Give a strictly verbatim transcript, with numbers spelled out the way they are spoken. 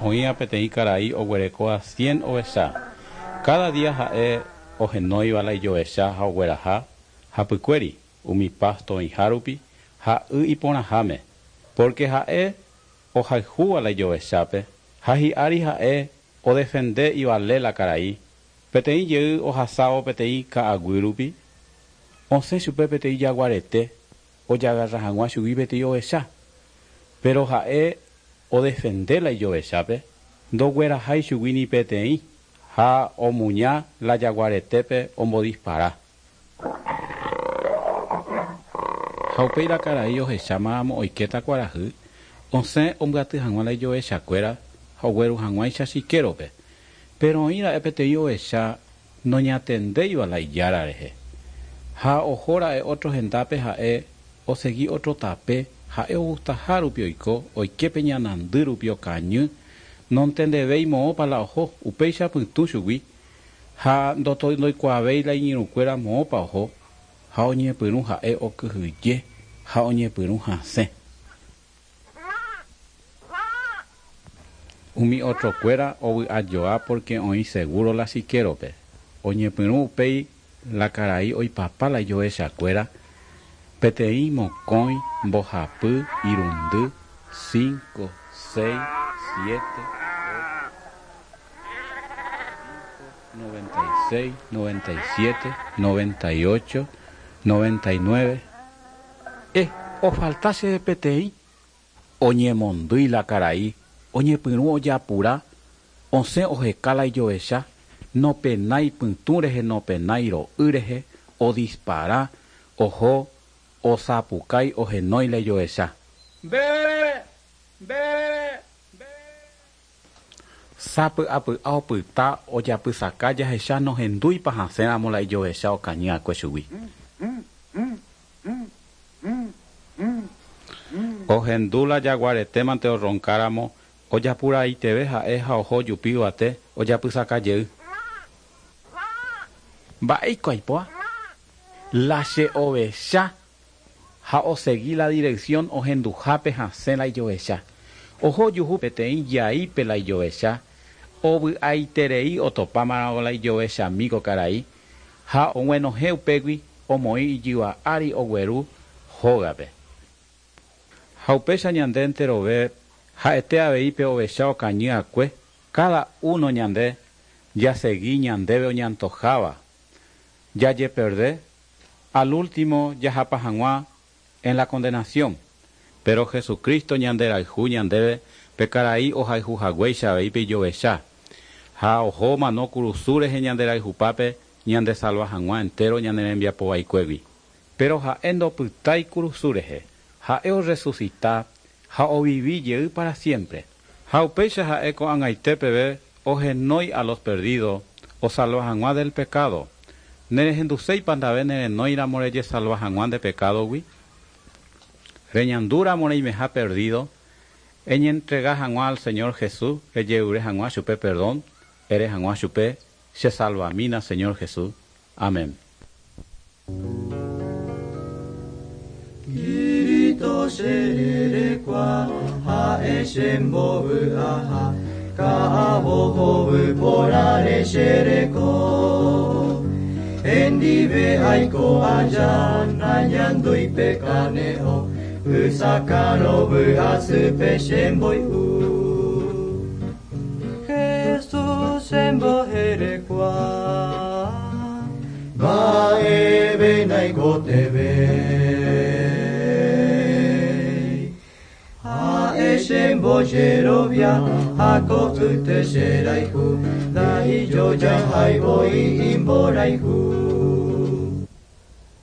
Oĩva peteĩ karai oguerekóva cien ovecha. Cada día ha'e ohenóiva la ijovecha ha ogueraha hapykuéri umi pasto oĩhárupi ha y iporãháme. Porque ha'e ohayhúva la ijovechápe ha hi'ári ha'e odefende ivale la karai. Peteĩ jey ohasávo peteĩ ka'aguýrupi, osẽ chupe peteĩ jaguarete ojagarra hag̃ua chugui peteĩ ovecha. Pero ha'e odefende la ijovechápe, ndoguerahái chugui ni peteĩ ha omuña la jaguaretépe ombodispara. Ha upéi la karai ohechámaramo oikéta kuarahy, osẽ ombyaty hag̃ua la ijovechakuéra ha ogueru hag̃uáicha chikérope. Pero oĩra'e peteĩ ovecha noñatendéiva la ijára rehe. Ha ohóra'e otro hendápe ha'e osegi otro tape, ha'e ogustahárupi oiko, oike pe ñanandýrupi okañy, nontendevéi moõpa la oho, upéicha pytũ chugui ha ndoikuaavéi la iñirũkuéra moõpa oho, ha oñepyrũ ha'e okyhyje ha oñepyrũ hasẽ. Umi otrokuéra ovy'ajoa porque oĩ seguro la chikérope. Oñepyrũ upéi la karai oipapa la ijovechakuéra, peteĩ mokõi, mbohapy, irundy, cinco, seis, siete, ocho, noventa y seis, noventa y siete, noventa y ocho, noventa y nueve. Eh, ofaltase peteĩ. Oñemondýi la karai, oñepyrũ ojapura, osẽ oheka la ijovecha, nopenái pytũ rehe, nopenái ro'y rehe, odispara, oho, osapukái ohenói la ijovecha. Be, be, be. Sapy'apy'a opyta ojapysaka jahecha nohendúipa hasẽramo la ijovecha okañy'akue chugui. Ohendu la jaguaretémante orronkáramo, ojapuraiteve ha'e ha oho jupi yvate ojapysaka jey. Mba'éiko aipoa? La che ovecha ha osegi la dirección ohenduhápe hasẽ la ijovecha. Oho juhu peteĩ jaípe la ijovecha, ovy'aiterei otopámaramo la ijovechami ko karai ha og̃uenohẽ upégui omoĩ ijyva ári ogueru hógape. Ha upéicha ñande enterove ha'ete avei pe ovecha okañy'akue, cada uno ñande jasegi ñandéve oñantoháva, jajeperde, al último jahapa hag̃ua en la condenación. Pero Jesucristo ñanderayhu ñandéve pe karai ohayhuhaguéicha avei pe ijovecha. Ha oho omano kurusu rehe ñanderayhupápe ñandesalva hag̃ua entero ñane rembiapo vaikuégui. Pero ha'e ndopytái kurusu rehe, ha'e orresucita ha ovivi jey para siempre. Ha upéicha ha'e ko'ag̃aite peve ohenói a los perdidos osalva hag̃ua del pecado. Nerehenduséipa ndave nerenóiramo rejesalva hag̃ua nde pecadogui? Reñandúramo reimeha perdido, eñentrega hag̃ua al Señor Jesús, rejeure hag̃ua chupe perdón, ere hag̃ua chupe, che salvamína Señor Jesús. Amén. Kirito sererekua ha'e chembovy'aha ka'avohovy porãre chereko. Hendive aiko aja nañandúi pe kane'õ ysakãro vy'asýpe chemboy'u. Jesús chemboherekua mba'eve naikotevẽi. Ha'e chembojerovia ha ko'ýte cherayhu ndaijojahái voi imborayhu.